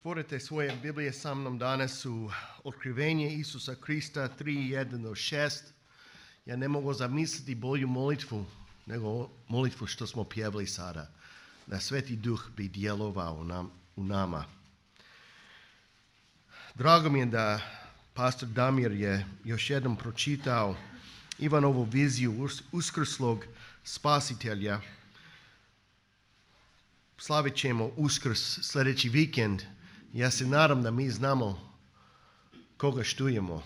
Otvorite svoje Biblije sa mnom danas u Otkrivenje Isusa Krista 3:1-6. Ja ne mogu zamisliti bolju molitvu nego molitvu što smo pjevali sada. Da Sveti Duh bi djelovao u nama. Drago mi je da pastor Damir je još jednom pročitao Ivanovu viziju uskrslog spasitelja. Slavit ćemo Uskrs sljedeći vikend. Ja se nadam da mi znamo koga štujemo.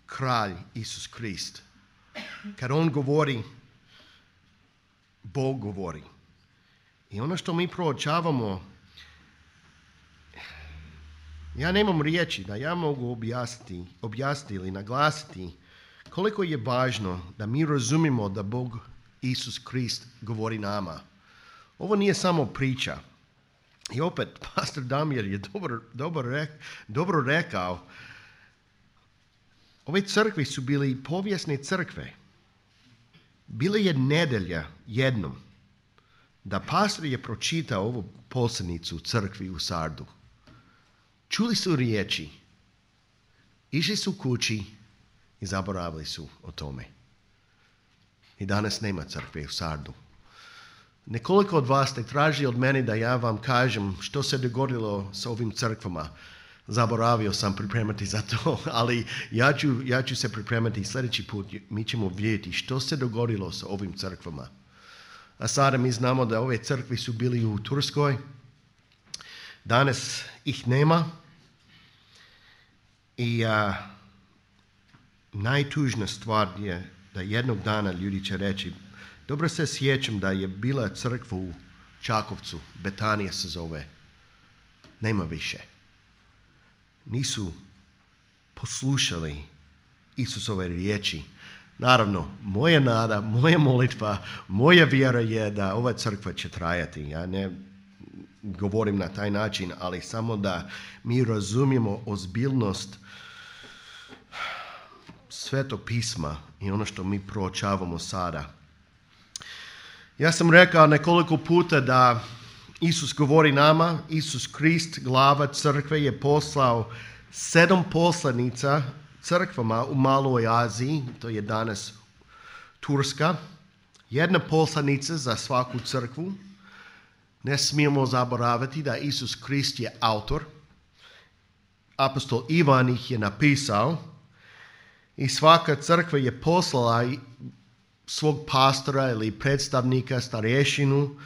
Kralj Isus Krist. Kad on govori, Bog govori. I ono što mi proučavamo, ja nemam riječi da ja mogu objasniti ili naglasiti koliko je važno da mi razumimo da Bog Isus Krist govori nama. Ovo nije samo priča. I opet, pastor Damir je dobro rekao, ove crkve su bili povijesne crkve. Bila je nedelja jednom da pastor je pročitao ovu poslanicu u crkvi u Sardu. Čuli su riječi, išli su kući i zaboravili su o tome. I danas nema crkve u Sardu. Nekoliko od vas ste tražili od mene da ja vam kažem što se dogodilo s ovim crkvama. Zaboravio sam pripremati za to, ali ja ću se pripremati sljedeći put. Mi ćemo vidjeti što se dogodilo s ovim crkvama. A sada mi znamo da ove crkve su bili u Turskoj. Danas ih nema. I najtužnija stvar je da jednog dana ljudi će reći, dobro se sjećam da je bila crkva u Čakovcu, Betanija se zove. Nema više. Nisu poslušali Isusove riječi. Naravno, moja nada, moja molitva, moja vjera je da ova crkva će trajati. Ja ne govorim na taj način, ali samo da mi razumijemo ozbiljnost Svetog pisma i ono što mi proučavamo sada. Ja sam rekao nekoliko puta da Isus govori nama, Isus Krist, glava crkve, je poslao 7 poslanica crkvama u Maloj Aziji, to je danas Turska. Jedna poslanica za svaku crkvu. Ne smijemo zaboraviti da Isus Krist je autor. Apostol Ivan ih je napisao i svaka crkva je poslala svog pastora ili predstavnika, starješinu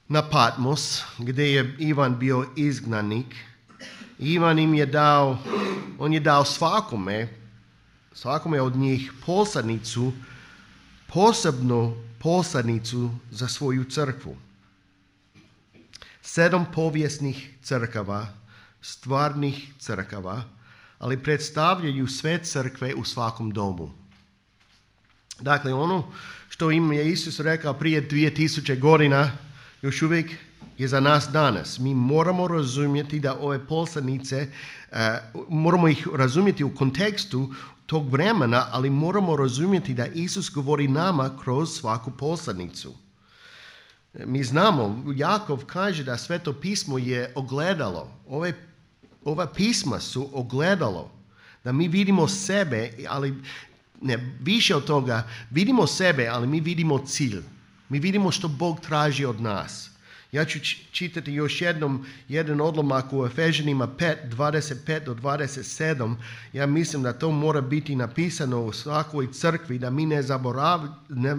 na Patmos, gdje je Ivan bio izgnanik. Ivan im je dao, on je dao svakome od njih poslanicu, posebnu poslanicu za svoju crkvu. 7 povijesnih crkava, stvarnih crkava, ali predstavljaju sve crkve u svakom domu. Dakle, ono što im je Isus rekao prije 2000 godina, još uvijek je za nas danas. Mi moramo razumjeti da ove poslanice, moramo ih razumjeti u kontekstu tog vremena, ali moramo razumjeti da Isus govori nama kroz svaku poslanicu. Mi znamo, Jakov kaže da Sveto pismo je ogledalo. Ova pisma su ogledalo. Da mi vidimo sebe, ali ne, više od toga, vidimo sebe, ali mi vidimo cilj. Mi vidimo što Bog traži od nas. Ja ću čitati još jedan odlomak u Efežanima 5:25-27. Ja mislim da to mora biti napisano u svakoj crkvi, da mi ne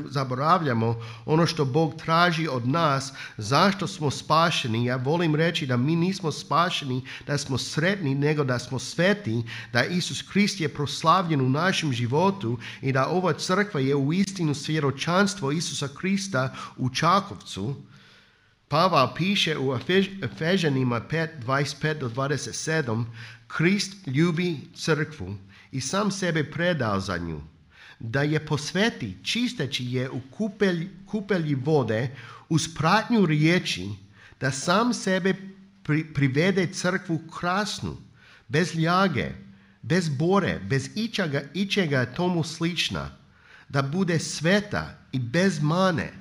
zaboravljamo ono što Bog traži od nas, zašto smo spašeni. Ja volim reći da mi nismo spašeni, da smo sretni, nego da smo sveti, da Isus Krist je proslavljen u našem životu i da ova crkva je uistinu svjedočanstvo Isusa Krista u Čakovcu. Pavel piše u Efežanima 5:25-27, Krist ljubi crkvu i sam sebe predao za nju, da je posveti čisteći je u kupelji vode uz pratnju riječi, da sam sebe privede crkvu krasnu, bez ljage, bez bore, bez ičega tomu slična, da bude sveta i bez mane.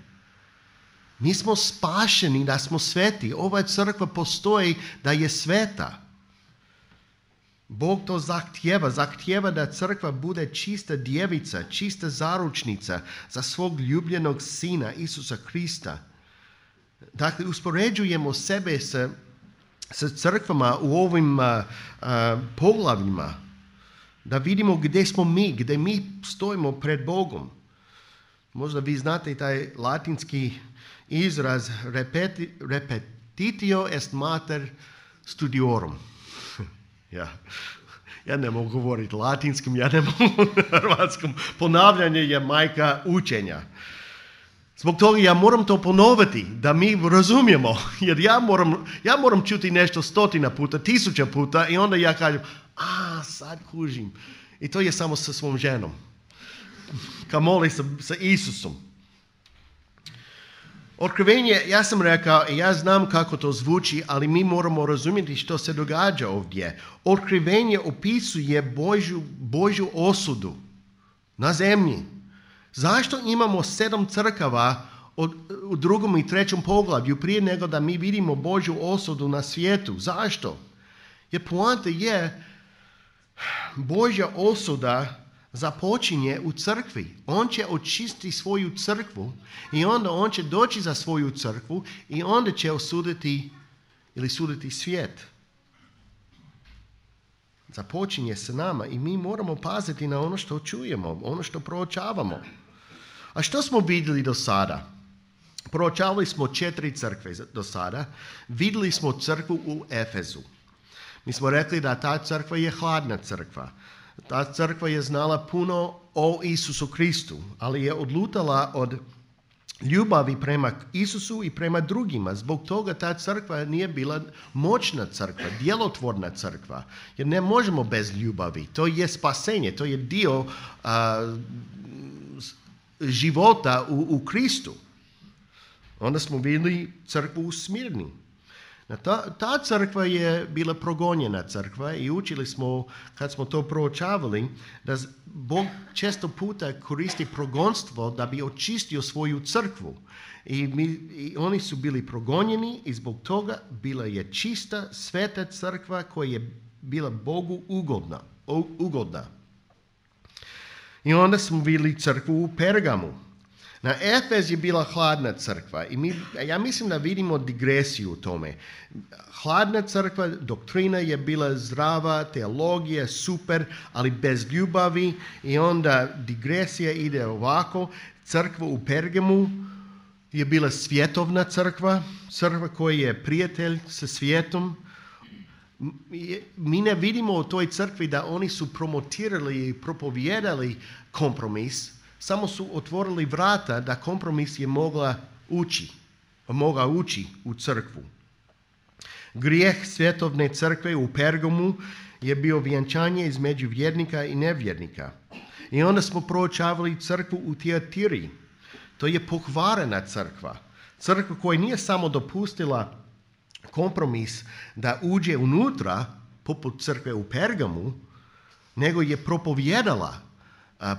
Mi smo spašeni da smo sveti. Ova crkva postoji da je sveta. Bog to zahtijeva da crkva bude čista djevica, čista zaručnica za svog ljubljenog sina Isusa Krista. Dakle, uspoređujemo sebe sa crkvama u ovim poglavljima, da vidimo gdje smo mi, gdje mi stojimo pred Bogom. Možda vi znate taj latinski izraz repetitio est mater studiorum. Ja ne mogu govoriti latinskim, ja ne mogu hrvatskom. Ponavljanje je majka učenja. Zbog toga ja moram to ponoviti, da mi razumijemo. Jer ja moram čuti nešto 100 puta, 1000 puta i onda ja kažem, sad kužim. I to je samo sa svom ženom. Kamoli sa Isusom. Otkrivenje, ja sam rekao i ja znam kako to zvuči, ali mi moramo razumjeti što se događa ovdje. Otkrivenje opisuje Božju osudu na zemlji. Zašto imamo 7 crkava u 2. i 3. poglavlju prije nego da mi vidimo Božju osudu na svijetu? Zašto? Jer poanta je Božja osuda započinje u crkvi. On će očistiti svoju crkvu i onda on će doći za svoju crkvu i onda će osuditi ili suditi svijet. Započinje sa nama i mi moramo paziti na ono što čujemo, ono što proučavamo. A što smo vidjeli do sada? Proučavali smo 4 crkve do sada. Vidjeli smo crkvu u Efezu. Mi smo rekli da ta crkva je hladna crkva. Ta crkva je znala puno o Isusu Kristu, ali je odlutala od ljubavi prema Isusu i prema drugima. Zbog toga ta crkva nije bila moćna crkva, djelotvorna crkva. Jer ne možemo bez ljubavi. To je spasenje, to je dio života u Kristu. Onda smo vidjeli crkvu u Smirni. Ta crkva je bila progonjena crkva i učili smo, kad smo to proučavali, da Bog često puta koristi progonstvo da bi očistio svoju crkvu. I oni su bili progonjeni i zbog toga bila je čista, sveta crkva koja je bila Bogu ugodna. I onda smo vidjeli crkvu u Pergamu. Na Efez je bila hladna crkva i ja mislim da vidimo digresiju u tome. Hladna crkva, doktrina je bila zdrava, teologija super, ali bez ljubavi i onda digresija ide ovako. Crkva u Pergamu je bila svjetovna crkva, crkva koja je prijatelj sa svijetom. Mi ne vidimo u toj crkvi da oni su promotirali i propovijedali kompromis, samo su otvorili vrata da kompromis je mogao ući u crkvu. Grijeh svjetovne crkve u Pergamu je bio vjenčanje između vjernika i nevjernika. I onda smo proučavali crkvu u Tiatiri. To je pokvarena crkva. Crkva koja nije samo dopustila kompromis da uđe unutra, poput crkve u Pergamu, nego je propovijedala,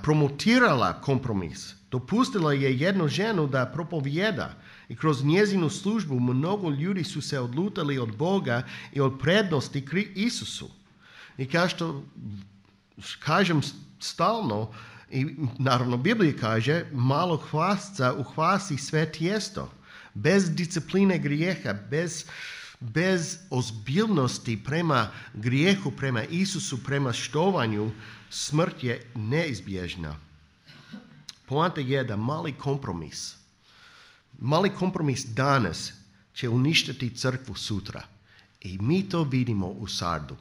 promotirala kompromis. Dopustila je jednu ženu da propovijeda i kroz njezinu službu mnogo ljudi su se odlutali od Boga i od prednosti Isusu. I kao što kažem stalno, i naravno Biblija kaže, malo hvasca uhvasi sve tijesto. Bez discipline grijeha, bez ozbiljnosti prema grijehu, prema Isusu, prema štovanju, smrt je neizbježna. Poanta je da mali kompromis danas će uništiti crkvu sutra. I mi to vidimo u Sardu.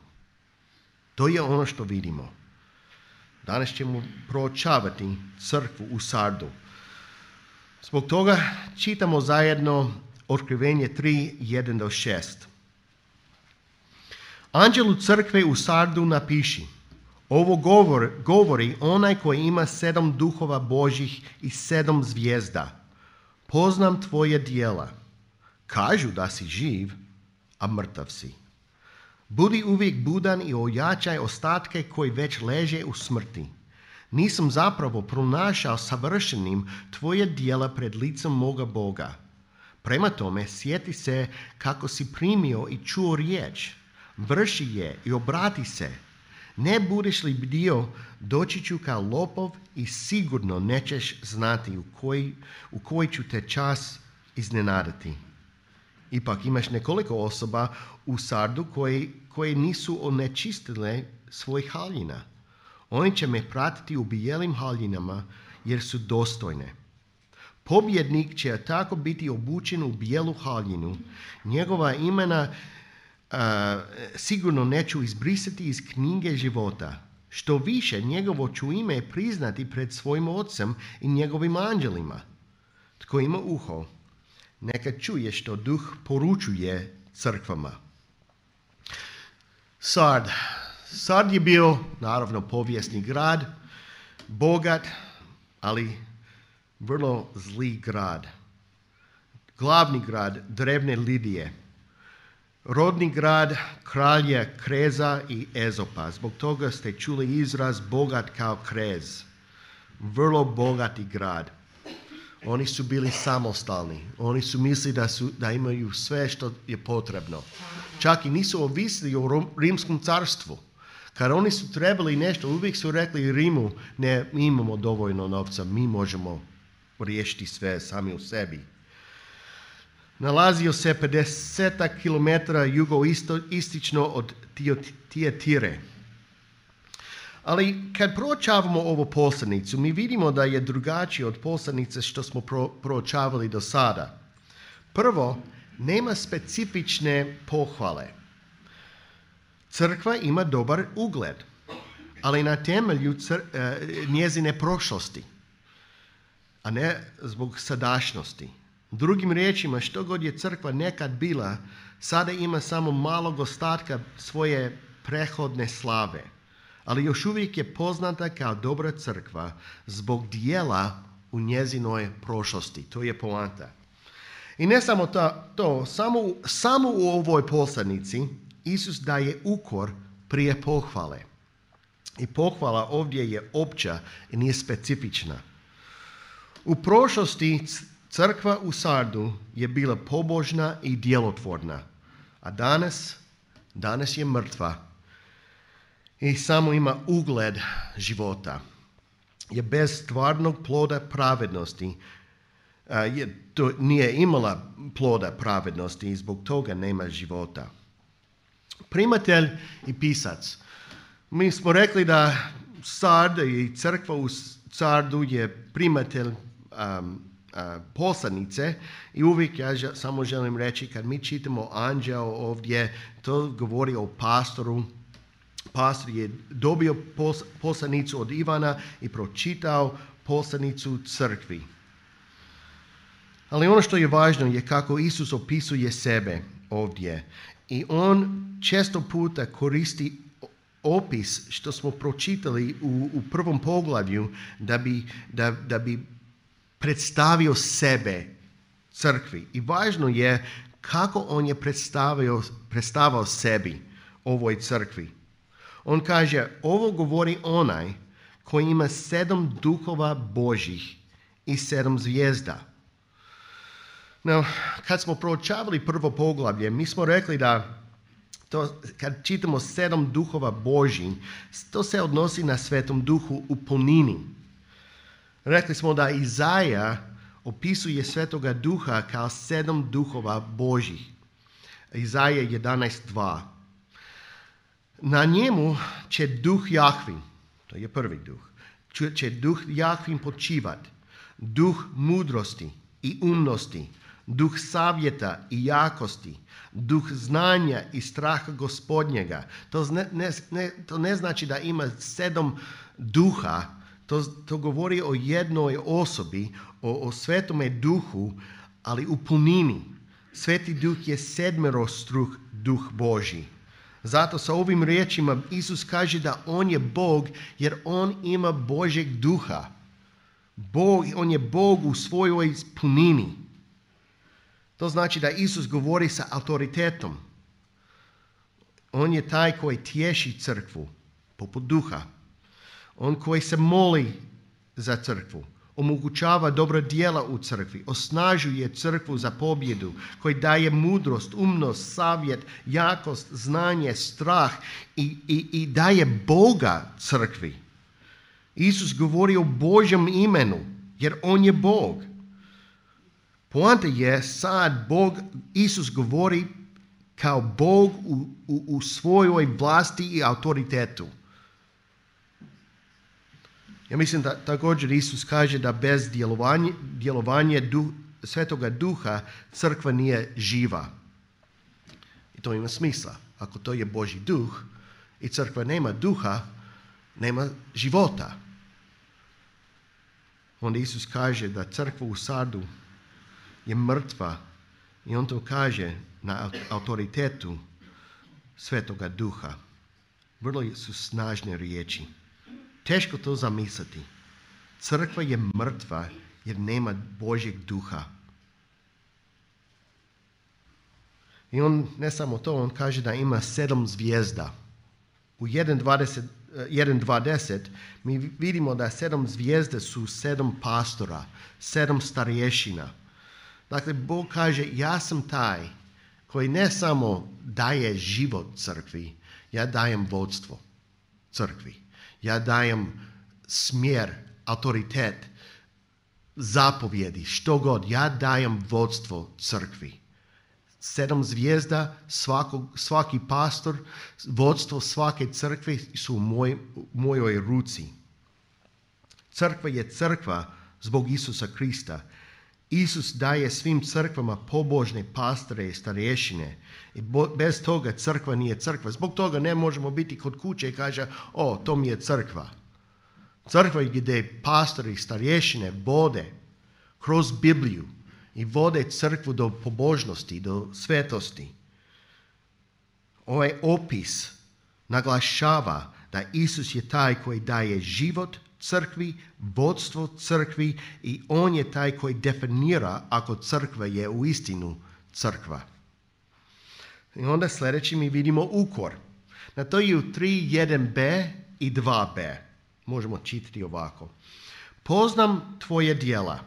To je ono što vidimo. Danas ćemo proučavati crkvu u Sardu. Zbog toga čitamo zajedno Otkrivenje 3, 1-6. Anđelu crkve u Sardu napiši: ovo govori onaj koji ima 7 duhova Božjih i 7 zvijezda. Poznam tvoje djela. Kažu da si živ, a mrtav si. Budi uvijek budan i ojačaj ostatke koji već leže u smrti. Nisam zapravo pronašao savršenim tvoje djela pred licem moga Boga. Prema tome, sjeti se kako si primio i čuo riječ, vrši je i obrati se. Ne budeš li bdio, doći ću kao lopov i sigurno nećeš znati u koji ću te čas iznenaditi. Ipak imaš nekoliko osoba u Sardu koje nisu onečistile svojih haljina. Oni će me pratiti u bijelim haljinama jer su dostojne. Pobjednik će tako biti obučen u bijelu haljinu. Njegova imena sigurno neću izbrisati iz knjige života. Što više, njegovo ću ime priznati pred svojim ocem i njegovim anđelima. Tko ima uho, neka čuje što duh poručuje crkvama. Sard je bio, naravno, povijesni grad, bogat, ali vrlo zli grad. Glavni grad drevne Lidije. Rodni grad kralja Kreza i Ezopa. Zbog toga ste čuli izraz bogat kao Krez. Vrlo bogati grad. Oni su bili samostalni. Oni su mislili da imaju sve što je potrebno. Čak i nisu ovisili o rimskom carstvu. Kad oni su trebali nešto, uvijek su rekli Rimu, ne, mi imamo dovoljno novca, mi možemo riješiti sve sami u sebi. Nalazio se 50 km jugoistočno od Tiatire. Ali kad proučavamo ovu poslanicu, mi vidimo da je drugačije od poslanice što smo proučavali do sada. Prvo, nema specifične pohvale. Crkva ima dobar ugled, ali na temelju njezine prošlosti, a ne zbog sadašnjosti. Drugim riječima, što god je crkva nekad bila, sada ima samo malog ostatka svoje prethodne slave. Ali još uvijek je poznata kao dobra crkva zbog dijela u njezinoj prošlosti. To je poanta. I ne samo to, samo u ovoj poslanici Isus daje ukor prije pohvale. I pohvala ovdje je opća i nije specifična. U prošlosti crkva u Sardu je bila pobožna i djelotvorna, a danas je mrtva i samo ima ugled života. Je bez stvarnog ploda pravednosti. To nije imala ploda pravednosti i zbog toga nema života. Primatelj i pisac. Mi smo rekli da Sard i crkva u Sardu je primatelj poslanice i uvijek ja samo želim reći kad mi čitamo anđeo ovdje, to govori o pastoru. Pastor je dobio poslanicu od Ivana i pročitao poslanicu crkvi. Ali ono što je važno je kako Isus opisuje sebe ovdje. I on često puta koristi opis što smo pročitali u prvom poglavlju da bi predstavio sebe crkvi. I važno je kako on je predstavio sebi ovoj crkvi. On kaže, ovo govori onaj koji ima 7 duhova Božjih i 7 zvijezda. No, kad smo proučavali prvo poglavlje, mi smo rekli da kad čitamo 7 duhova Božjih, to se odnosi na Svetom Duhu u punini. Rekli smo da Izaja opisuje Svetoga Duha kao 7 duhova Božjih. Izaja 11.2. Na njemu će duh Jahvin, to je prvi duh, će duh Jahvin počivat, duh mudrosti i umnosti, duh savjeta i jakosti, duh znanja i straha Gospodnjega. To ne znači da ima 7 duha, to govori o jednoj osobi, o Svetome Duhu, ali u punini. Sveti Duh je 7-struh duh Božji. Zato sa ovim riječima Isus kaže da on je Bog jer on ima Božjeg duha. On je Bog u svojoj punini. To znači da Isus govori sa autoritetom. On je taj koji tješi crkvu, poput duha. On koji se moli za crkvu. omogućava dobra djela u crkvi, osnažuje crkvu za pobjedu, koji daje mudrost, umnost, savjet, jakost, znanje, strah i daje Boga crkvi. Isus govori o Božjem imenu, jer on je Bog. Poanta je sad Isus govori kao Bog u svojoj vlasti i autoritetu. Ja mislim da također Isus kaže da bez djelovanja Svetoga Duha crkva nije živa. I to ima smisla. Ako to je Božji duh i crkva nema duha, nema života. Onda Isus kaže da crkva u Sardu je mrtva i on to kaže na autoritetu Svetoga Duha. Vrlo su snažne riječi. Teško to zamisliti. Crkva je mrtva jer nema Božjeg duha. I on ne samo to, on kaže da ima 7 zvijezda. U 1.20 mi vidimo da 7 zvijezde su 7 pastora, 7 starješina. Dakle, Bog kaže, ja sam taj koji ne samo daje život crkvi, ja dajem vodstvo crkvi. Ja dajem smjer, autoritet, zapovjedi, što god. Ja dajem vodstvo crkvi. 7 zvijezda, svaki pastor, vodstvo svake crkve su u mojoj ruci. Crkva je crkva zbog Isusa Krista. Isus daje svim crkvama pobožne pastore i starješine. I bez toga crkva nije crkva. Zbog toga ne možemo biti kod kuće i kaže, to mi je crkva. Crkva je gdje pastori i starješine vode kroz Bibliju i vode crkvu do pobožnosti, do svetosti. Ovaj opis naglašava da Isus je taj koji daje život crkvi, vodstvo crkvi i on je taj koji definira ako crkva je uistinu crkva. I onda sljedeći mi vidimo ukor. Na to je u 3.1b i 2b. Možemo čitati ovako. Poznam tvoje djela.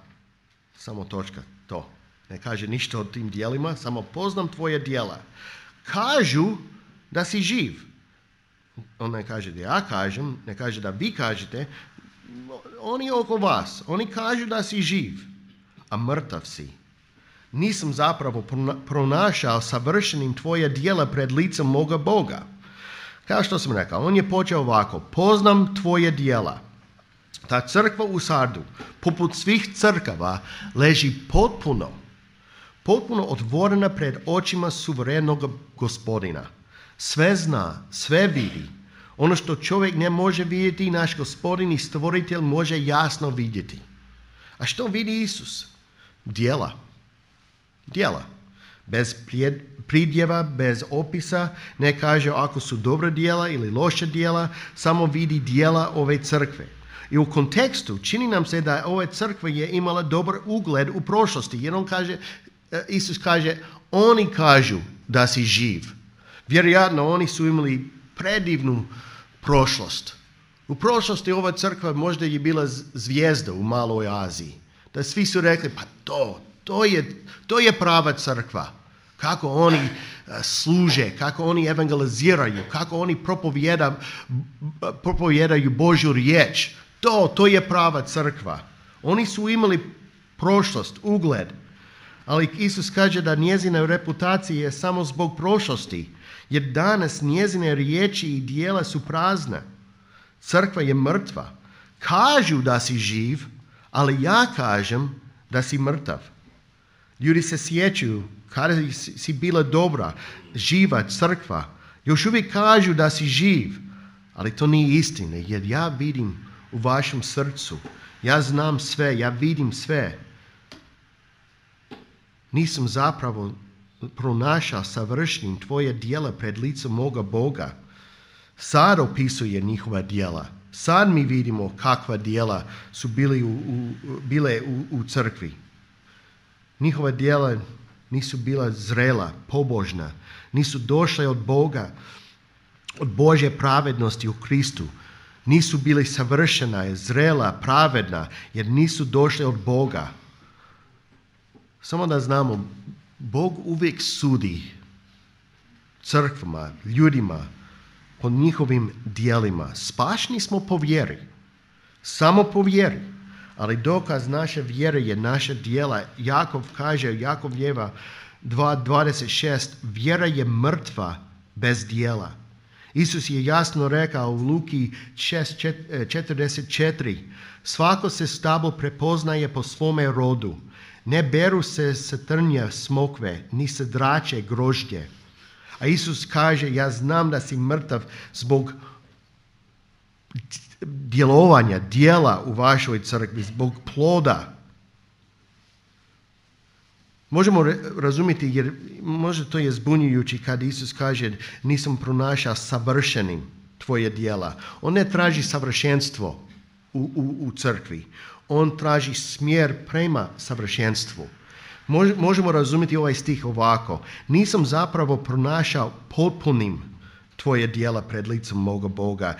Samo točka, to. Ne kaže ništa o tim djelima, samo poznam tvoje djela. Kažu da si živ. On ne kaže da ja kažem, ne kaže da vi kažete. Oni oko vas, oni kažu da si živ, a mrtav si. Nisam zapravo pronašao savršenim tvoje djela pred licem moga Boga. Kao što sam rekao, on je počeo ovako. Poznam tvoje djela. Ta crkva u Sardu, poput svih crkava, leži potpuno otvorena pred očima suverenog Gospodina. Sve zna, sve vidi. Ono što čovjek ne može vidjeti, naš Gospodin i stvoritelj može jasno vidjeti. A što vidi Isus? Djela. Bez pridjeva, bez opisa, ne kaže ako su dobra djela ili loša djela, samo vidi djela ove crkve. I u kontekstu čini nam se da ova crkva je imala dobar ugled u prošlosti. Jer Isus kaže, oni kažu da si živ. Vjerojatno oni su imali predivnu prošlost. U prošlosti ova crkva možda je bila zvijezda u Maloj Aziji. Da svi su rekli, pa to je prava crkva. Kako oni služe, kako oni evangeliziraju, kako oni propovijedaju Božju riječ. To je prava crkva. Oni su imali prošlost, ugled. Ali Isus kaže da njezina reputacija je samo zbog prošlosti. Jer danas njezine riječi i djela su prazne. Crkva je mrtva. Kažu da si živ, ali ja kažem da si mrtav. Ljudi se sjećaju kada si bila dobra, živa crkva. Još uvijek kažu da si živ, ali to nije istina, jer ja vidim u vašem srcu. Ja znam sve, ja vidim sve. Nisam zapravo pronašao savršenim tvoje djela pred licem moga Boga. Sad opisuje njihova djela. Sad mi vidimo kakva djela su bile u crkvi. Njihova djela nisu bila zrela, pobožna. Nisu došle od Boga, od Božje pravednosti u Kristu. Nisu bili savršena, zrela, pravedna, jer nisu došli od Boga. Samo da znamo, Bog uvijek sudi crkvama, ljudima, po njihovim dijelima. Spašni smo po vjeri. Samo po vjeri. Ali dokaz naše vjere je naša djela. Jakov kaže, Jakovljeva 2.26, vjera je mrtva bez djela. Isus je jasno rekao u Luki 6.44, svako se stablo prepoznaje po svome rodu. Ne beru se sa trnja smokve, ni sa drače grožđe. A Isus kaže, ja znam da si mrtav zbog djelovanja, djela u vašoj crkvi, zbog ploda. Možemo razumjeti, jer možda to je zbunjujući kad Isus kaže nisam pronašao savršenim tvoje djela. On ne traži savršenstvo u crkvi. On traži smjer prema savršenstvu. Možemo razumjeti ovaj stih ovako. Nisam zapravo pronašao potpunim tvoje djela pred licem moga Boga.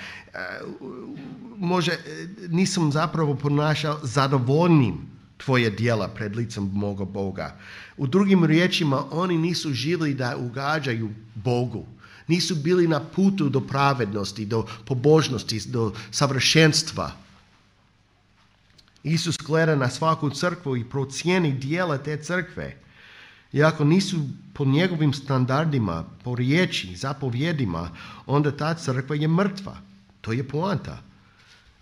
Nisam zapravo pronašao zadovoljnim tvoje djela pred licem moga Boga. U drugim riječima, oni nisu živjeli da ugađaju Bogu. Nisu bili na putu do pravednosti, do pobožnosti, do savršenstva. Isus gleda na svaku crkvu i procijeni djela te crkve. I ako nisu po njegovim standardima, po riječi, zapovjedima, onda ta crkva je mrtva. To je poanta.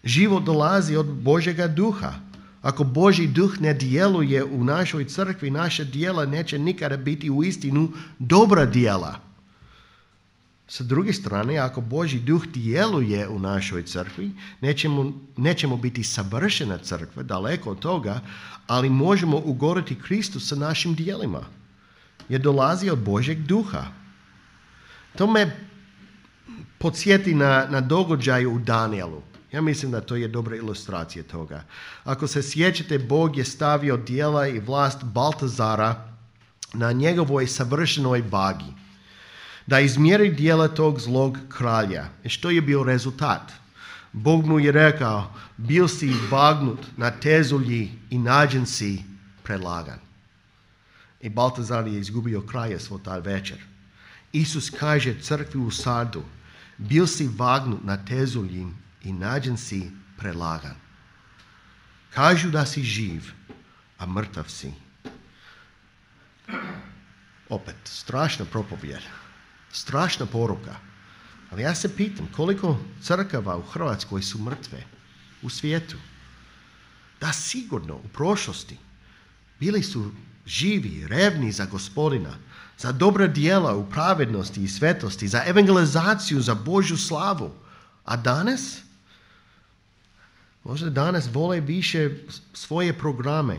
Život dolazi od Božjega duha. Ako Božji duh ne djeluje u našoj crkvi, naša djela neće nikada biti u istinu dobra djela. Sa druge strane, ako Božji duh djeluje u našoj crkvi, nećemo biti savršena crkva, daleko od toga, ali možemo ugoditi Kristu sa našim djelima. Jer dolazi od Božjeg duha. To me podsjeti na događaj u Danielu. Ja mislim da to je dobra ilustracija toga. Ako se sjećate, Bog je stavio djela i vlast Baltazara na njegovoj savršenoj vagi, da izmjeri djela tog zlog kralja. I što je bio rezultat? Bog mu je rekao, bil si vagnut na tezulji i nađen si predlagan. I Baltazar je izgubio kralja svoj taj večer. Isus kaže crkvi u Sardu, bil si vagnut na tezulji i nađen si predlagan. Kažu da si živ, a mrtav si. Opet, strašna propovjed. Strašna poruka. Ali ja se pitam koliko crkava u Hrvatskoj su mrtve u svijetu. Da, sigurno u prošlosti bili su živi, revni za Gospodina, za dobra djela u pravednosti i svetosti, za evangelizaciju, za Božju slavu. A danas? Možda danas vole više svoje programe.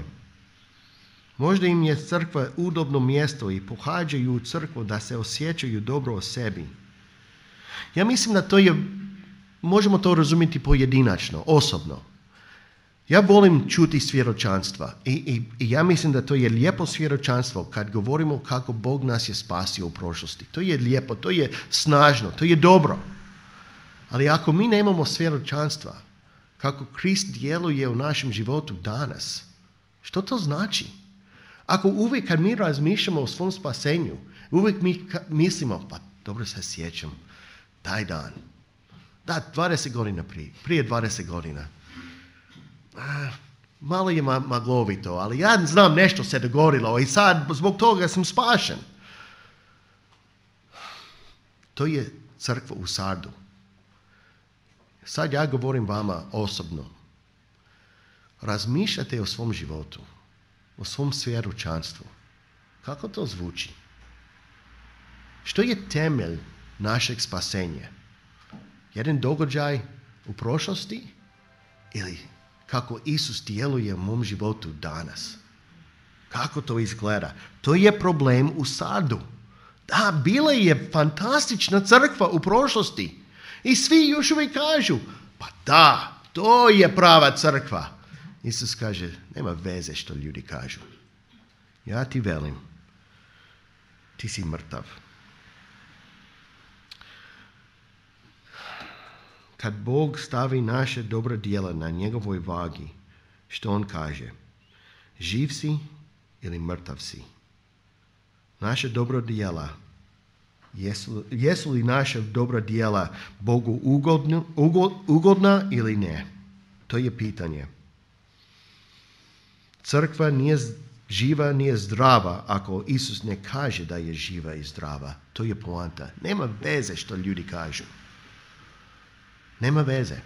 Možda im je crkva udobno mjesto i pohađaju u crkvu da se osjećaju dobro o sebi. Ja mislim da to je, možemo to razumjeti pojedinačno, osobno. Ja volim čuti svjedočanstva i ja mislim da to je lijepo svjedočanstvo kad govorimo kako Bog nas je spasio u prošlosti. To je lijepo, to je snažno, to je dobro. Ali ako mi nemamo svjedočanstva, kako Krist djeluje u našem životu danas, što to znači? Ako uvijek kad mi razmišljamo o svom spasenju, uvijek mi mislimo, pa dobro se sjećam, taj dan. Da, 20 godina prije 20 godina. Malo je maglovito, ali ja znam nešto se dogodilo i sad zbog toga sam spašen. To je crkva u Sardu. Sad ja govorim vama osobno. Razmišljate o svom životu, o svom svjedočanstvu. Kako to zvuči? Što je temelj našeg spasenja? Jedan događaj u prošlosti ili kako Isus djeluje u mom životu danas? Kako to izgleda? To je problem u Sardu. Da, bila je fantastična crkva u prošlosti. I svi još uvijek kažu, pa da, to je prava crkva. Isus kaže, nema veze što ljudi kažu. Ja ti velim, ti si mrtav. kad Bog stavi naše dobra djela na njegovoj vagi, što on kaže? Živ si ili mrtav si? Naše dobra djela, jesu li naša dobra djela Bogu ugodna ili ne? To je pitanje. Crkva nije živa, nije zdrava ako Isus ne kaže da je živa i zdrava. To je poanta. Nema veze što ljudi kažu. Nema veze.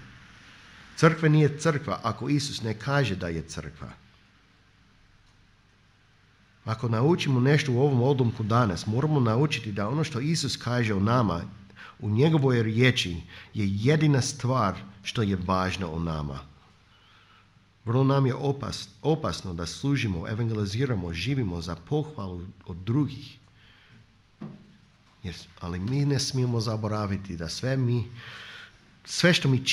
Crkva nije crkva ako Isus ne kaže da je crkva. Ako naučimo nešto u ovom odlomku danas, moramo naučiti da ono što Isus kaže o nama, u njegovoj riječi, je jedina stvar što je važna o nama. Vrlo nam je opasno da služimo, evangeliziramo, živimo za pohvalu od drugih. Ali mi ne smijemo zaboraviti da sve što mi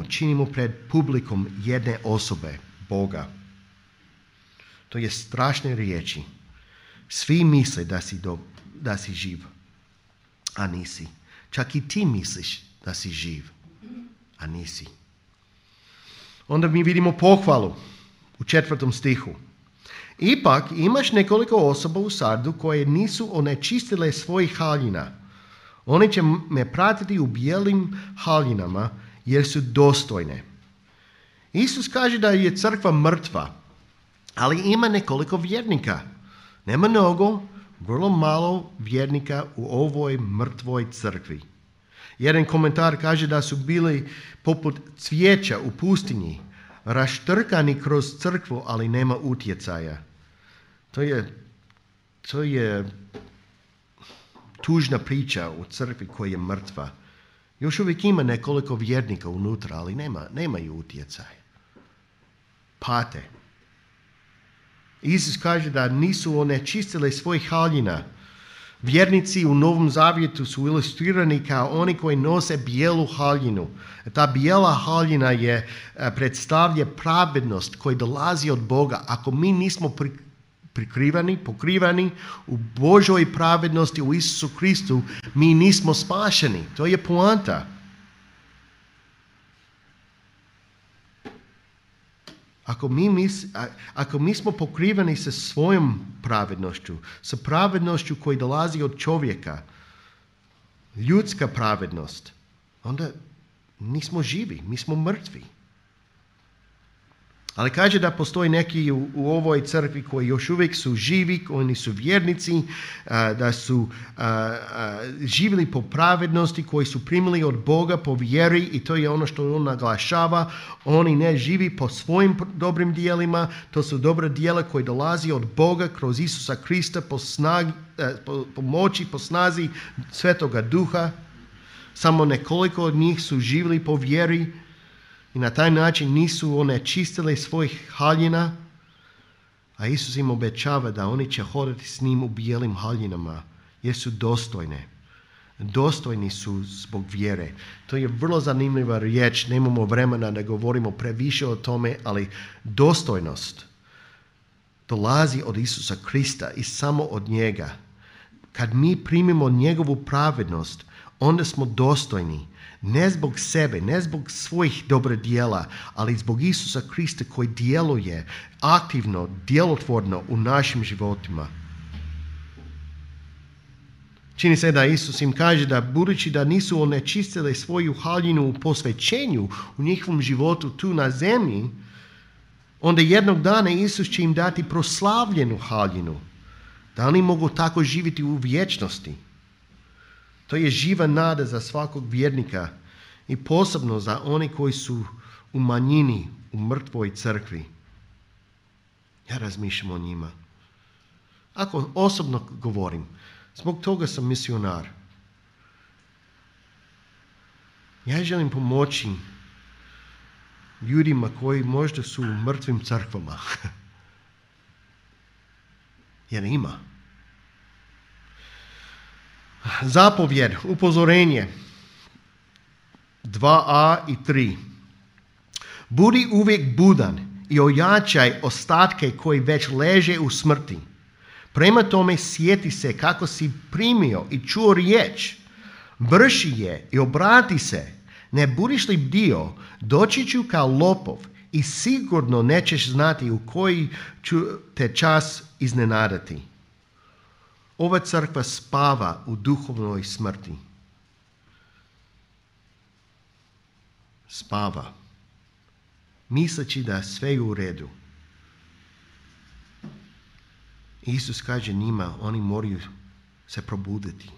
činimo pred publikom jedne osobe, Boga. To je strašne riječi. Svi misle da si živ, a nisi. Čak i ti misliš da si živ, a nisi. Onda mi vidimo pohvalu u 4. stihu. Ipak imaš nekoliko osoba u Sardu koje nisu onečistile svojih haljina. Oni će me pratiti u bijelim haljinama jer su dostojne. Isus kaže da je crkva mrtva, ali ima nekoliko vjernika. Nema mnogo, vrlo malo vjernika u ovoj mrtvoj crkvi. Jedan komentar kaže da su bili poput cvijeća u pustinji, raštrkani kroz crkvu, ali nema utjecaja. To je tužna priča u crkvi koja je mrtva. Još uvijek ima nekoliko vjernika unutra, ali nemaju utjecaj. Pate. Isus kaže da nisu onečistili svojih haljina. Vjernici u Novom Zavjetu su ilustrirani kao oni koji nose bijelu haljinu. Ta bijela haljina predstavlja pravednost koja dolazi od Boga. Ako mi nismo pokrivani u Božoj pravednosti u Isusu Kristu, mi nismo spašeni. To je poanta. Ako mi smo pokriveni sa svojom pravednošću, sa pravednošću koja dolazi od čovjeka, ljudska pravednost, onda nismo živi, mi smo mrtvi. Ali kaže da postoji neki u ovoj crkvi koji još uvijek su živi, oni su vjernici, da su živjeli po pravednosti, koji su primili od Boga po vjeri, i to je ono što on naglašava. Oni ne živi po svojim dobrim dijelima, to su dobra djela koje dolazi od Boga kroz Isusa Krista po moći, po snazi Svetoga Duha. Samo nekoliko od njih su živjeli po vjeri i na taj način nisu onečistili svojih haljina, a Isus im obećava da oni će hodati s njim u bijelim haljinama jer su dostojne. Dostojni su zbog vjere. To je vrlo zanimljiva riječ, nemamo vremena da govorimo previše o tome, ali dostojnost dolazi od Isusa Krista i samo od njega. Kad mi primimo njegovu pravednost, onda smo dostojni. Ne zbog sebe, ne zbog svojih dobrih djela, ali zbog Isusa Krista koji djeluje aktivno, djelotvorno u našim životima. Čini se da Isus im kaže da budući da nisu onečistili svoju haljinu u posvećenju u njihovom životu tu na zemlji, onda jednog dana Isus će im dati proslavljenu haljinu, da oni mogu tako živjeti u vječnosti. To je živa nada za svakog vjernika i posebno za oni koji su u manjini, u mrtvoj crkvi. Ja razmišljam o njima. Ako osobno govorim, zbog toga sam misionar. Ja želim pomoći ljudima koji možda su u mrtvim crkvama. Jer ima. Zapovjed, upozorenje 2a i 3. Budi uvijek budan i ojačaj ostatke koji već leže u smrti. Prema tome sjeti se kako si primio i čuo riječ. Vrši je i obrati se. Ne budiš li bdio, doći ću kao lopov i sigurno nećeš znati u koji ću te čas iznenadati. Ova crkva spava u duhovnoj smrti. Spava, misleći da sve je u redu. Isus kaže njima, oni moraju se probuditi.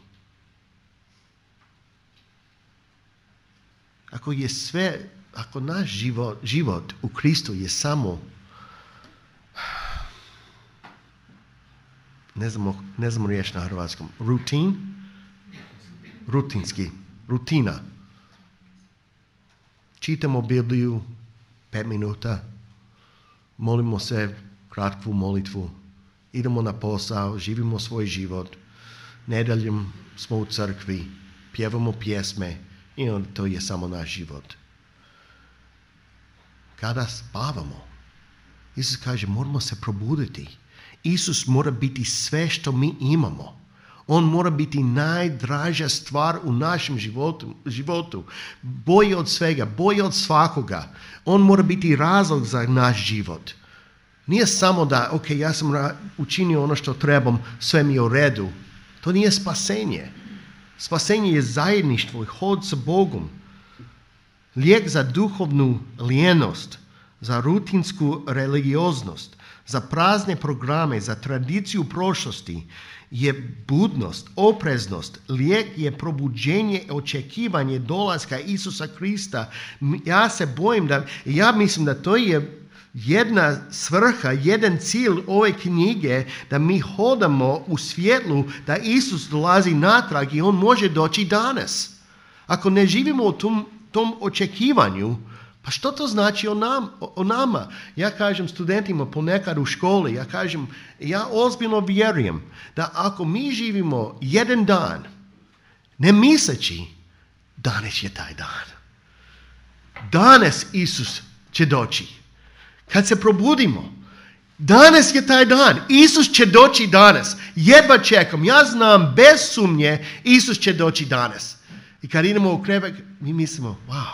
Ako naš život u Kristu je samo, ne znamo riječ na hrvatskom, rutina. Čitamo Bibliju 5 minuta, molimo se kratku molitvu, idemo na posao, živimo svoj život, nedjeljom smo u crkvi, pjevamo pjesme i onda to je samo naš život. Kada spavamo, Isus kaže moramo se probuditi. Isus mora biti sve što mi imamo. On mora biti najdraža stvar u našem životu. Bolji od svega, bolji od svakoga. On mora biti razlog za naš život. Nije samo da, ok, ja sam učinio ono što trebam, sve mi je u redu. To nije spasenje. Spasenje je zajedništvo i hod sa Bogom. Lijek za duhovnu lijenost, za rutinsku religioznost, za prazne programe, za tradiciju prošlosti je budnost, opreznost. Lijek je probuđenje, očekivanje dolaska Isusa Krista. Ja mislim da to je jedna svrha, jedan cilj ove knjige, da mi hodamo u svjetlu, da Isus dolazi natrag i on može doći danas. Ako ne živimo u tom očekivanju, pa što to znači o nama? Ja kažem studentima ponekad u školi, ja ozbiljno vjerujem da ako mi živimo jedan dan, ne misleći, danas je taj dan. Danas Isus će doći. Kad se probudimo, danas je taj dan. Isus će doći danas. Jedva čekam. Ja znam bez sumnje Isus će doći danas. I kad idemo u krevet, mi mislimo, wow,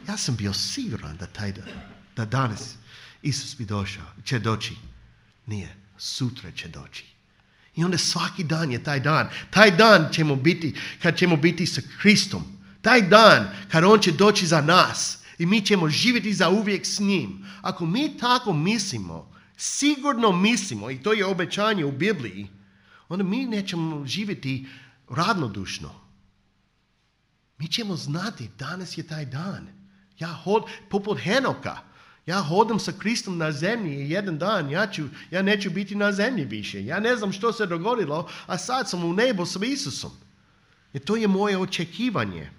ja sam bio siguran da danas Isus će doći. Nije, sutra će doći. I onda svaki dan je taj dan. Taj dan kad ćemo biti sa Kristom. Taj dan kad on će doći za nas. I mi ćemo živjeti za uvijek s njim. Ako mi tako mislimo, sigurno mislimo, i to je obećanje u Bibliji, onda mi nećemo živjeti ravnodušno. Mi ćemo znati, danas je taj dan. Poput Henoka, ja hodam sa Kristom na zemlji i jedan dan ja neću biti na zemlji više. Ja ne znam što se dogodilo, a sad sam u nebu sa Isusom. I to je moje očekivanje.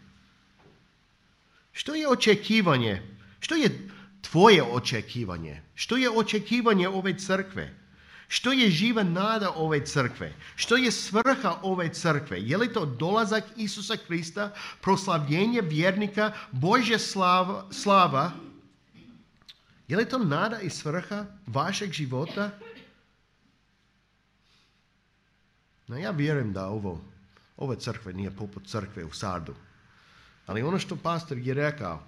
Što je očekivanje? Što je tvoje očekivanje? Što je očekivanje ove crkve? Što je živa nada ove crkve? Što je svrha ove crkve? Je li to dolazak Isusa Krista, proslavljenje vjernika, Božja slava? Je li to nada i svrha vašeg života? No, ja vjerujem da ova crkva nije poput crkve u Sardu. Ali ono što pastor je rekao,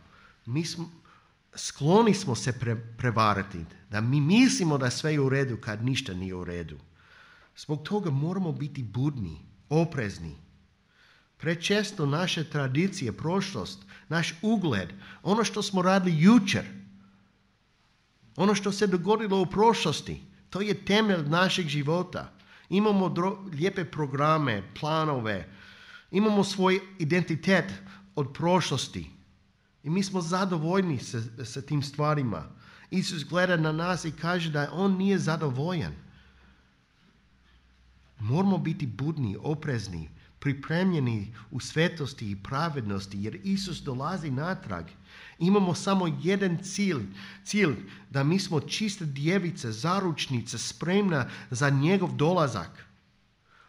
skloni smo se prevarati, da mi mislimo da sve je u redu kad ništa nije u redu. Zbog toga moramo biti budni, oprezni. Prečesto naše tradicije, prošlost, naš ugled, ono što smo radili jučer, ono što se dogodilo u prošlosti, to je temelj našeg života. Imamo lijepe programe, planove, imamo svoj identitet od prošlosti. I mi smo zadovoljni sa tim stvarima. Isus gleda na nas i kaže da on nije zadovoljan. Moramo biti budni, oprezni, pripremljeni u svetosti i pravednosti, jer Isus dolazi natrag. Imamo samo jedan cilj, da mi smo čista djevica, zaručnica, spremna za njegov dolazak.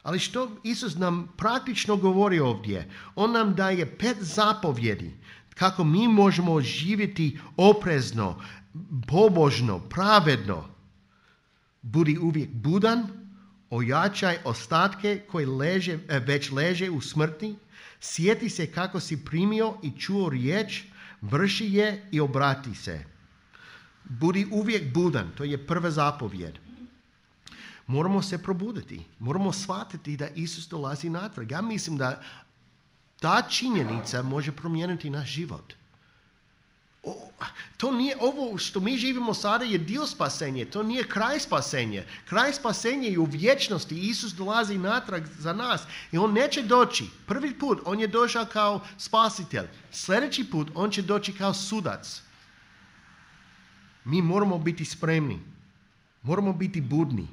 Ali što Isus nam praktično govori ovdje? On nam daje 5 zapovjedi kako mi možemo živjeti oprezno, pobožno, pravedno. Budi uvijek budan, ojačaj ostatke koji već leže u smrti, Sjeti se kako si primio i čuo riječ, vrši je i obrati se. Budi uvijek budan, to je prva zapovjed. Moramo se probuditi, moramo shvatiti da Isus dolazi natrag. Ja mislim da ta činjenica može promijeniti naš život. To nije ovo što mi živimo sada je dio spasenja, to nije kraj spasenja. Kraj spasenja je u vječnosti. Isus dolazi natrag za nas i on neće doći. Prvi put on je došao kao spasitelj. Sljedeći put on će doći kao sudac. Mi moramo biti spremni. Moramo biti budni.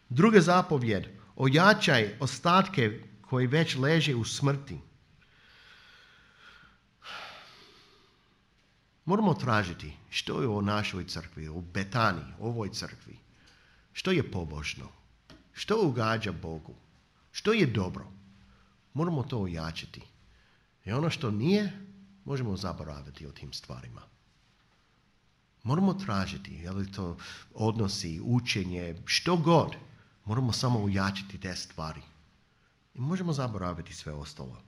Druga zapovjed. Ojačaj ostatke koji već leže u smrti. Moramo tražiti što je u našoj crkvi, u Betani, ovoj crkvi. Što je pobožno? Što ugađa Bogu? Što je dobro? Moramo to ojačati. I ono što nije, možemo zaboraviti o tim stvarima. Moramo tražiti, je li to odnosi, učenje, što god. Moramo samo ojačati te stvari. I možemo zaboraviti sve ostalo.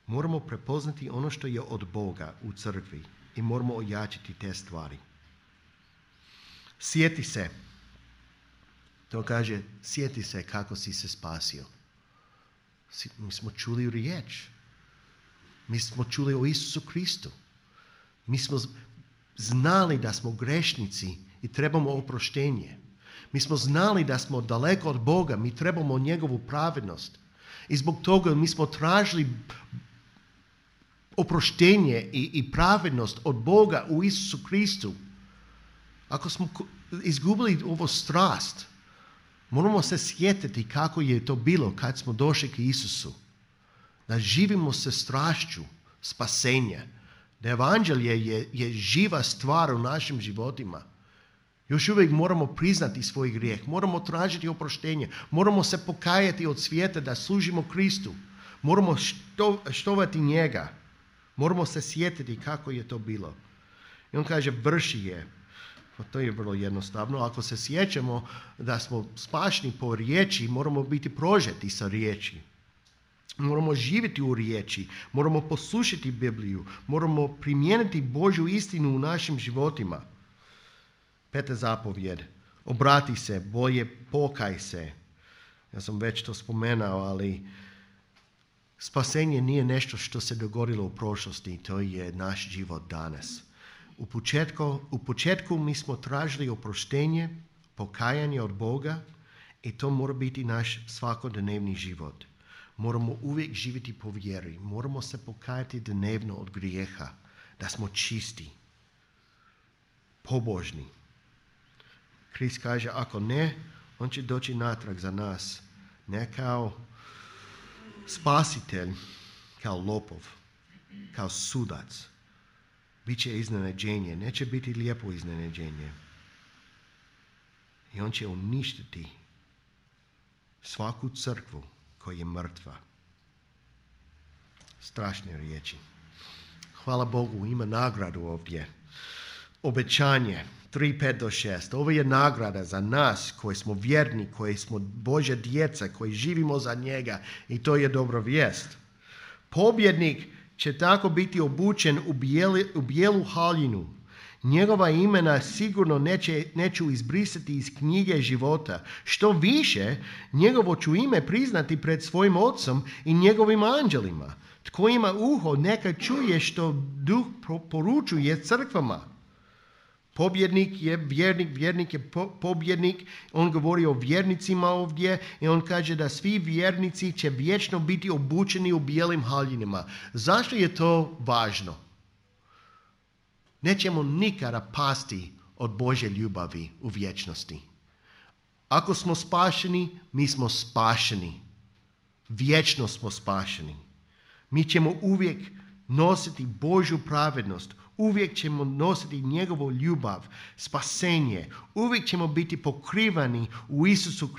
Moramo prepoznati ono što je od Boga u crkvi i moramo ojačati te stvari. Sjeti se. To kaže, sjeti se kako si se spasio. Mi smo čuli riječ. Mi smo čuli o Isusu Kristu. Mi smo znali da smo grešnici i trebamo oproštenje. Mi smo znali da smo daleko od Boga, mi trebamo njegovu pravednost. I zbog toga mi smo tražili oproštenje i pravednost od Boga u Isusu Kristu. Ako smo izgubili ovu strast, moramo se sjetiti kako je to bilo kad smo došli k Isusu. Da živimo sa strašću spasenja. Da evanđelje je živa stvar u našim životima. Još uvijek moramo priznati svoj grijeh. Moramo tražiti oproštenje. Moramo se pokajati od svijeta da služimo Kristu. Moramo štovati njega. Moramo se sjetiti kako je to bilo. I on kaže, vrši je. Pa to je vrlo jednostavno. Ako se sjećamo da smo spašeni po riječi, moramo biti prožeti sa riječi. Moramo živjeti u riječi. Moramo poslušati Bibliju. Moramo primijeniti Božju istinu u našim životima. 5. zapovjed. Obrati se, bolje pokaj se. Ja sam već to spomenuo, ali spasenje nije nešto što se dogodilo u prošlosti, to je naš život danas. U početku mi smo tražili oproštenje, pokajanje od Boga i to mora biti naš svakodnevni život. Moramo uvijek živjeti po vjeri. Moramo se pokajati dnevno od grijeha, da smo čisti, pobožni. Krist kaže, ako ne, on će doći natrag za nas. Ne kao spasitelj, kao lopov, kao sudac. Biće iznenađenje, neće biti lijepo iznenađenje. I on će uništiti svaku crkvu koja je mrtva. Strašne riječi. Hvala Bogu, ima nagradu ovdje. Obećanje 3:5-6. Ovo je nagrada za nas koji smo vjerni, koji smo Božja djeca, koji živimo za njega i to je dobra vijest. Pobjednik će tako biti obučen u bijelu haljinu. Njegova imena sigurno neću izbrisati iz knjige života. Što više, njegovo ću ime priznati pred svojim ocom i njegovim anđelima. Tko ima uho, neka čuje što Duh poručuje crkvama. Pobjednik je vjernik je pobjednik. On govori o vjernicima ovdje i on kaže da svi vjernici će vječno biti obučeni u bijelim haljinama. Zašto je to važno? Nećemo nikada pasti od Božje ljubavi u vječnosti. Ako smo spašeni, mi smo spašeni. Vječno smo spašeni. Mi ćemo uvijek nositi Božju pravednost. Uvijek ćemo nositi njegovu ljubav, spasenje. Uvijek ćemo biti pokrivani u Isusu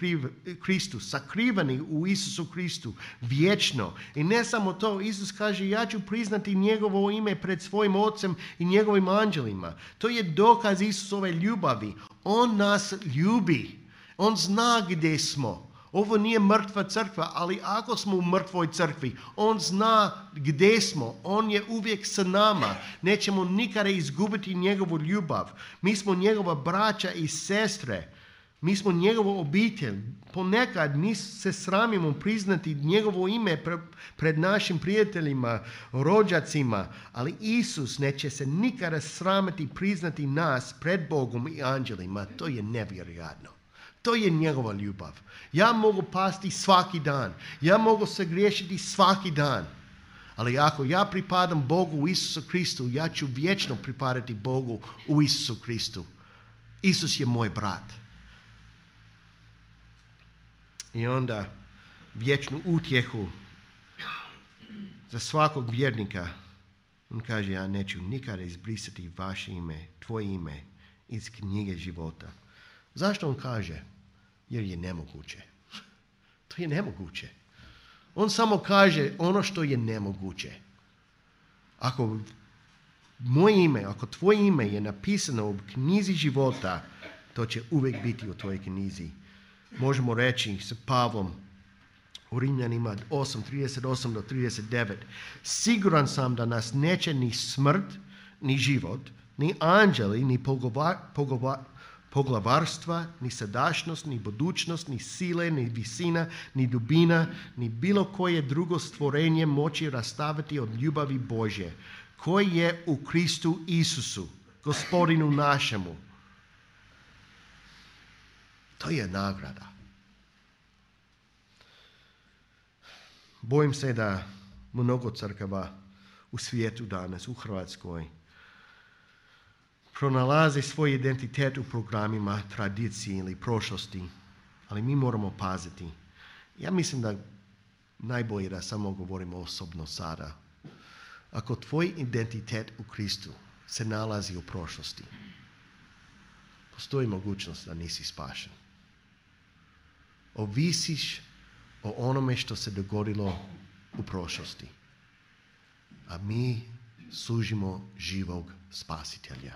Kristu, sakrivani u Isusu Kristu, vječno. I ne samo to, Isus kaže, ja ću priznati njegovo ime pred svojim ocem i njegovim anđelima. To je dokaz Isusove ljubavi. On nas ljubi. On zna gdje smo. Ovo nije mrtva crkva, ali ako smo u mrtvoj crkvi, on zna gdje smo. On je uvijek sa nama. Nećemo nikada izgubiti njegovu ljubav. Mi smo njegova braća i sestre. Mi smo njegova obitelj. Ponekad mi se sramimo priznati njegovo ime pred našim prijateljima, rođacima, ali Isus neće se nikada sramiti priznati nas pred Bogom i anđelima. To je nevjerojatno. To je njegova ljubav. Ja mogu pasti svaki dan. Ja mogu se griješiti svaki dan. Ali ako ja pripadam Bogu u Isusu Kristu, ja ću vječno pripadati Bogu u Isusu Kristu. Isus je moj brat. I onda vječnu utjehu za svakog vjernika. On kaže, ja neću nikada izbrisati vaše ime, tvoje ime iz knjige života. Zašto on kaže? Jer je nemoguće. To je nemoguće. On samo kaže ono što je nemoguće. Ako moje ime, ako tvoje ime je napisano u knjizi života, to će uvijek biti u tvojoj knjizi. Možemo reći sa Pavlom u Rimljanima 8:38 do 39. Siguran sam da nas neće ni smrt, ni život, ni anđeli, ni poglavarstva, ni sadašnjost, ni budućnost, ni sile, ni visina, ni dubina, ni bilo koje drugo stvorenje moći rastaviti od ljubavi Božje, koji je u Kristu Isusu, Gospodinu našemu. To je nagrada. Bojim se da mnogo crkava u svijetu danas, u Hrvatskoj, pronalazi svoj identitet u programima tradicije ili prošlosti, ali mi moramo paziti. Ja mislim da najbolje da samo govorimo osobno sada. Ako tvoj identitet u Kristu se nalazi u prošlosti, postoji mogućnost da nisi spašen. Ovisiš o onome što se dogodilo u prošlosti. A mi služimo živog spasitelja.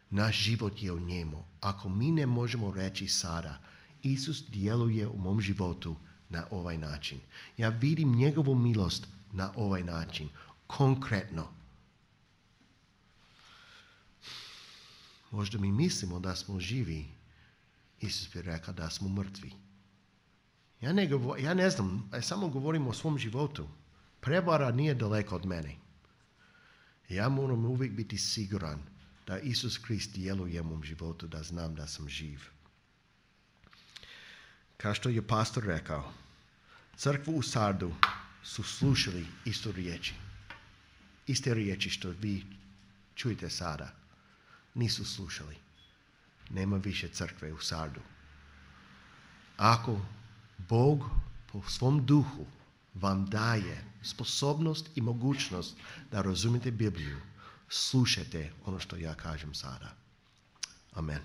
Naš život je u njemu. Ako mi ne možemo reći sada, Isus djeluje u mom životu na ovaj način. Ja vidim njegovu milost na ovaj način. Konkretno. Možda mi mislimo da smo živi. Isus bi rekao da smo mrtvi. Ja ne znam, ja samo govorim o svom životu. Prevara nije daleko od mene. Ja moram uvijek biti siguran da Isus Krist djeluje u mom životu, da znam da sam živ. Kao što je pastor rekao, crkvu u Sardu su slušali isto riječi. Iste riječi što vi čujete sada. Nisu slušali. Nema više crkve u Sardu. Ako Bog po svom duhu vam daje sposobnost i mogućnost da razumijete Bibliju, slušajte ono što ja kažem sada. Amen.